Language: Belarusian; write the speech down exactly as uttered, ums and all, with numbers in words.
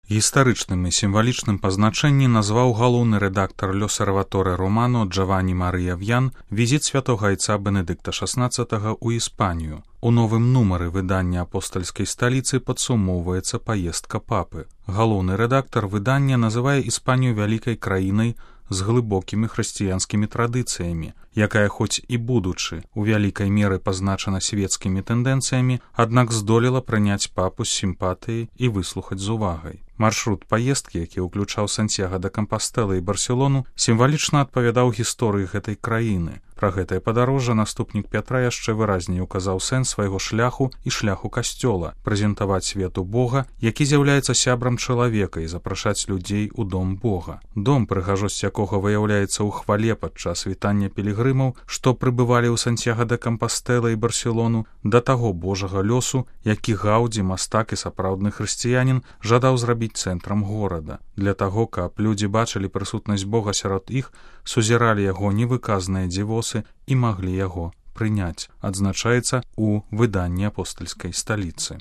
Гістарычным і сімвалічным па значэнні назваў галоўны рэдактар L'Osservatore Romano Джаванні Марыя В'ян візіт святога айца Бенедыкта шаснаццатага ў Іспанію. У новым нумары выдання апостальскай сталіцы падсумоўваецца паездка папы. Галоўны рэдактар выдання называе Іспанію вялікай краінай з глыбокімі хрысціянскімі традыцыямі, якая хоць і будучы у вялікай меры пазначана свецкімі тэндэнцыямі, аднак здолела прыняць папу з сімпатыяй і выслухаць з увагай. Маршрут паездкі, які ўключаў Сантьяго де Кампастэла і Барселону, сімвалічна адпавядаў гісторыі гэтай краіны. Пра гэтае падарожжа наступнік Пятра яшчэ выразней указаў сэнс свайго шляху і шляху касцёла, прэзентаваць свету Бога, які з'яўляецца сябрам чалавека, і запрашаць людзей у дом Бога. Дом, прыгажосць якога выяўляецца ў хвале падчас вітання пілігрымаў, што прыбывалі ў Сантьяго де Кампастэла і Барселону, да таго Божага лёсу, які Гаўдзі, мастак і сапраўдны хрысціянін, жадаў зрабіць цэнтрам горада. Для таго, каб людзі бачылі прысутнасць Бога сярод іх, сузіралі яго невыказныя дзівосы і маглі яго прыняць, адзначаецца ў выданні апостальскай сталіцы.